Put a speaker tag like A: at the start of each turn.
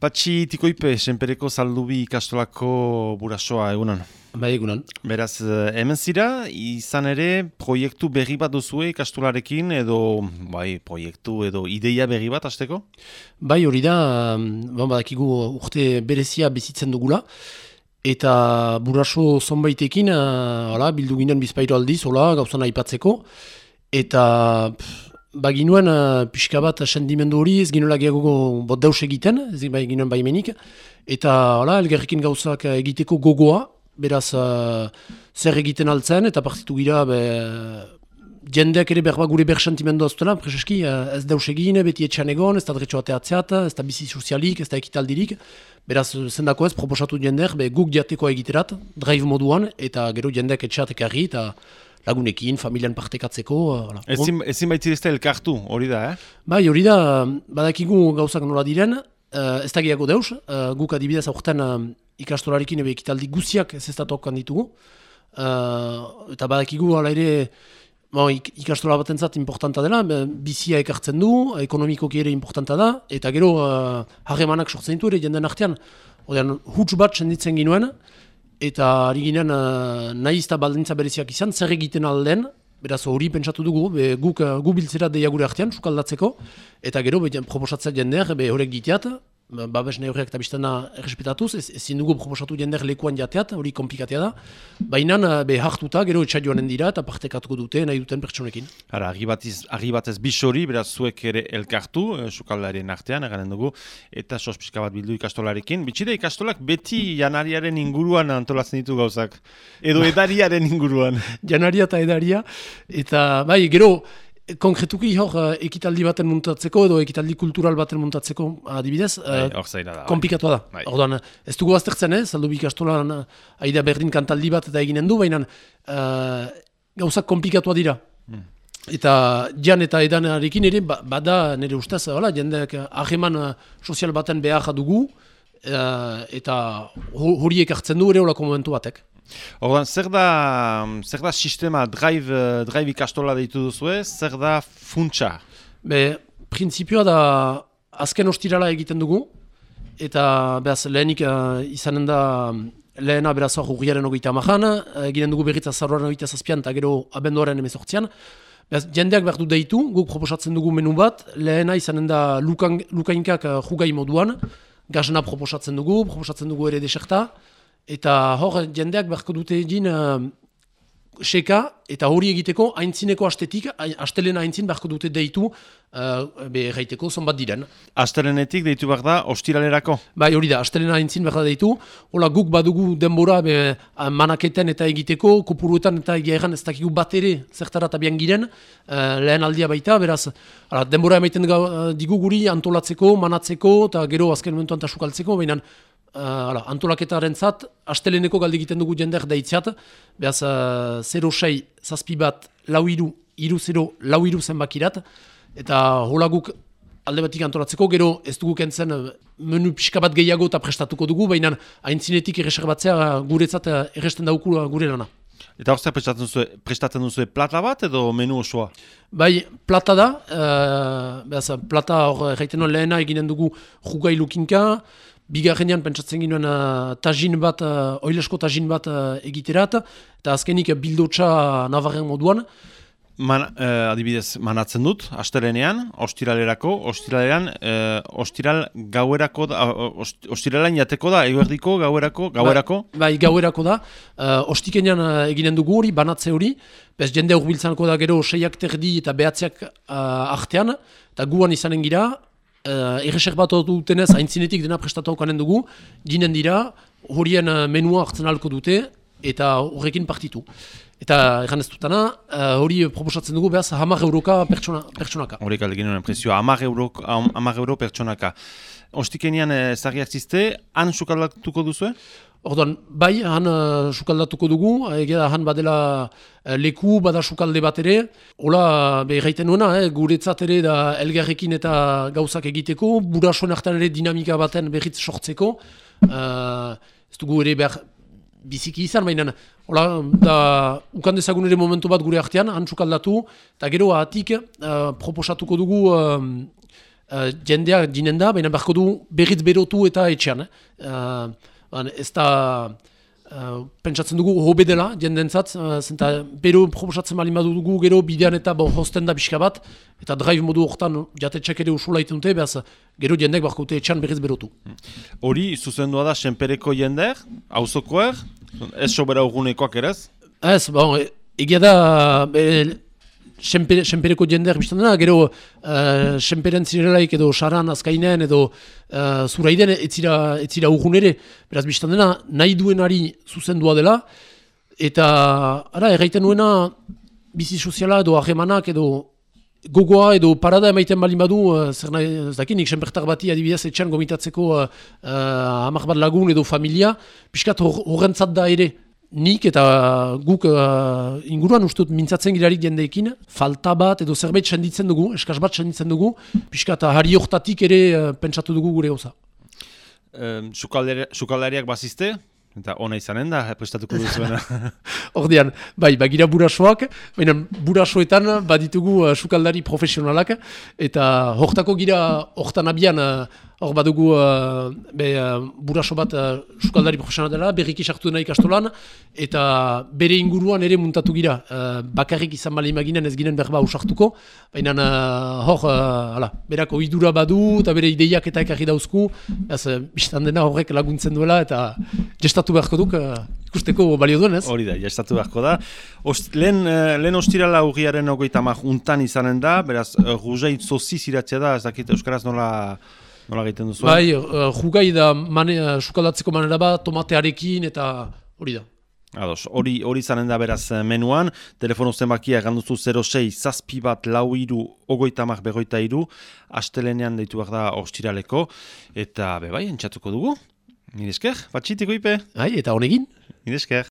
A: Patxi Tikoipe, senpereko Zaldubi ikastolako burasoa egunan.
B: Bai, egunan.
A: Beraz, hemen zira, izan ere, proiektu berri bat duzue ikastolarekin, edo proiektu edo ideia berri bat hasteko?
B: Bai, hori da, badakigu urte berezia bizitzen dugula, eta buraso zonbaitekin, bildu ginen bizpairo aldiz, gauzan aipatzeko, eta baginuen pixka bat sendimendu hori, ez ginoela gehiago deus egiten, ez ginoen baimenik, eta elgerrekin gauzak egiteko gogoa, beraz zer egiten altzen, eta partitu gira, jendeak ere berba gure bersentimendu azutela, prezeski ez deus egin, beti etxean egon, ez da dretxo ateatzeat, ez da bizi sozialik, ez da ekitaldirik, beraz zendako ez proposatu jendeak, guk diateko egiterat, drive moduan, eta gero jendeak etxeat ekarri, eta lagunekin, familian partekatzeko.
A: Ezin baitzirezta elkartu, hori da,
B: Bai, hori da, badakigu gauzak nola diren, ez da gehiago deus, guk adibidez aurten ikastolarekin ebe ekitaldi guziak ez ez datokan ditugu, eta badakigu ala ere ikastola batentzat importanta dela, bizia ekartzen du, ekonomikoki ere importanta da, eta gero harremanak sortzen ditu ere jenden artean, huts bat senditzen ginuen, eta ari ginen nahiz eta baldintza bereziak izan, zer egiten alden, beraz hori pentsatu dugu, guk biltzera deia gure artean, sukaldatzeko, eta gero proposatzea jendeak, horrek giteat, babes neurriak eta biztana errespetatuz, ezin dugu proposatu jendeak lekuan jateat, hori komplikatea da, baina hartuta, gero etxaioanen dira, eta partekatuko dute, nahi duten pertsonekin.
A: Argi batez bisori, beraz zuek ere elkartu, sukaldaren artean, eganen dugu, eta sospizka bat bildu ikastolarekin. Bitxide, ikastolak beti janariaren inguruan antolatzen ditu gauzak, edo edariaren inguruan.
B: Janaria eta edaria, eta bai, gero, konkretuki hor ekitaldi baten muntatzeko edo ekitaldi kultural baten muntatzeko adibidez, komplikatua da. Orduan, ez dugu aztertzen, Zaldubi ikastolan aida berdin kantaldi bat eta eginen du, baina gauzak komplikatua dira. Eta jan eta edanarekin ere, bada nire ustez, jendeak hageman sozial baten behar dugu, eta horiek hartzen du ere olako momentu batek.
A: Orduan, zer da sistema drive ikastola deitu duzue, zer da funtsa?
B: Printzipioa da azken ostirala egiten dugu, eta lehenik izanen da lehena beraz hor urriaren 30an, eginen dugu berriz azaroaren 27an eta gero abenduaren 18an. Jendeak behar du deitu, guk proposatzen dugu menu bat, lehena izanen da lukainkak jugai moduan, gazena proposatzen dugu ere deserta, eta hor jendeak beharko dute egin seka, eta hori egiteko aintzineko astetik, astelena aintzin beharko dute deitu erraiteko zonbat diren.
A: Astelenetik deitu behar da ostiralerako?
B: Bai, hori da, astelena aintzin behar da deitu, hola guk badugu denbora manaketen eta egiteko, kopuruetan eta egiaren ez dakigu bat ere zertara tabian giren, lehen aldia baita, beraz, denbora emaiten digu guri antolatzeko, manatzeko, eta gero azken momentuan tasukaltzeko, baina antolaketaren zat, asteleneko galde egiten dugu jendeak daitziat, behaz 06 zazpi bat lau iru zenbakirat, eta hola guk alde batik antolatzeko, gero ez dugu kentzen menu pixka bat gehiago eta prestatuko dugu, baina aintzinetik erreserbatzea guretzat erresten dauku gure lana.
A: Eta hor prestatzen duzu plata bat edo menu osoa?
B: Bai, plata da, plata hor erraiten lehena eginen dugu jugai lukinka, bigarrenean pentsatzen ginoen tajin bat, oilesko tajin bat egiterat, eta azkenik bildotxa navarren moduan.
A: Adibidez, manatzen dut, astelenean, ostiralean, ostiral gauerako da, ostiralan jateko da, eguerdiko, gauerako?
B: Bai, gauerako da, ostikenean eginen dugu hori, banatze hori, bez jende urbiltzanako da gero 6ak terdi eta behatziak artean, eta guan izanen gira, erreserbatu dutenez, aintzinetik dena prestatu haukanen dugu, ginen dira, horien menua hartzen alko dute, eta horrekin partitu. Eta egan ez dutana, hori proposatzen dugu behaz 10 euroka pertsonaka.
A: Horrek aldegin honen prezioa, 10 euro pertsonaka. Ostikenean zagiak zizte, han sukaldatuko duzu?
B: Orduan, bai, han sukaldatuko dugu, egia han badela leku, bada sukalde bat ere. Hola, erraiten nuena, guretzat ere da elgarrekin eta gauzak egiteko, burasoen hartan ere dinamika baten berriz sortzeko. Ez dugu ere behar biziki izan, baina ukan dezagun ere momentu bat gure artean, han sukaldatu, eta gero ahatik proposatuko dugu jendea ginen da, baina beharko du berriz berotu eta etxean. Ez da pentsatzen dugu hobe dela jendentzat, zenta bero proposatzen bali dugu gero bidean eta hosten da pixka bat, eta drive modu horretan jatetxak ere usula iten dute, behaz gero jendek beharko dute etxean berriz berotu.
A: Hori zuzendua da senpereko jendeak, auzokoak, ez sobera urgunekoak erez?
B: Ez, egia da senpereko jendeak biztan dena, gero senperen zirelaik edo saran, azkainen edo zuraiden etzira urgunere, beraz biztan dena nahi duenari zuzendua dela, eta erraiten nuena bizi soziala edo harremanak edo gogoa edo parada emaiten balin badu, zer nahi, ez dakit, nik senpertar bati adibidez etxean gomitatzeko 10 bat lagun edo familia, pixkat horrentzat da ere. Nik eta guk inguruan ustut mintzatzen girarik jendeekin, falta bat edo zerbait senditzen dugu, eskaz bat senditzen dugu, pixka eta harri hortatik ere pentsatu dugu gure gauza.
A: Sukaldariak bazizte, eta ona izanen da, prestatuko duzuena.
B: Ordean, bai, bagira burasoak, baina burasoetan baditugu sukaldari profesionalak, eta hortako gira hortan abian, hor badugu buraso bat sukaldari profesional dela, berriki sartu dena ikastolan, eta bere inguruan ere muntatu gira. Bakarrik izan bali imaginen ez ginen berba usartuko, baina berak oidura badu, eta bere ideiak eta ekarri dauzku, biztan dena horrek laguntzen duela, eta gestatu beharko duk, ikusteko balio duen, ez?
A: Hori da, gestatu beharko da. Lehen ostirala urriaren 30 untan izanen da, beraz, ruzeit zoziz iratzea da, ez dakit euskaraz nola egiten duzu?
B: Bai, jugai da sukaldatzeko manera bat, tomatearekin eta hori da.
A: Ados, hori izanen da beraz menuan, telefono zenbakia eganduzu 06 zazpi bat lau iru, 30-43, astelenean deitu behar da ostiraleko, eta bai, entxatuko dugu. Nire esker, batxitiko ipe.
B: Eta honegin.
A: Nire esker.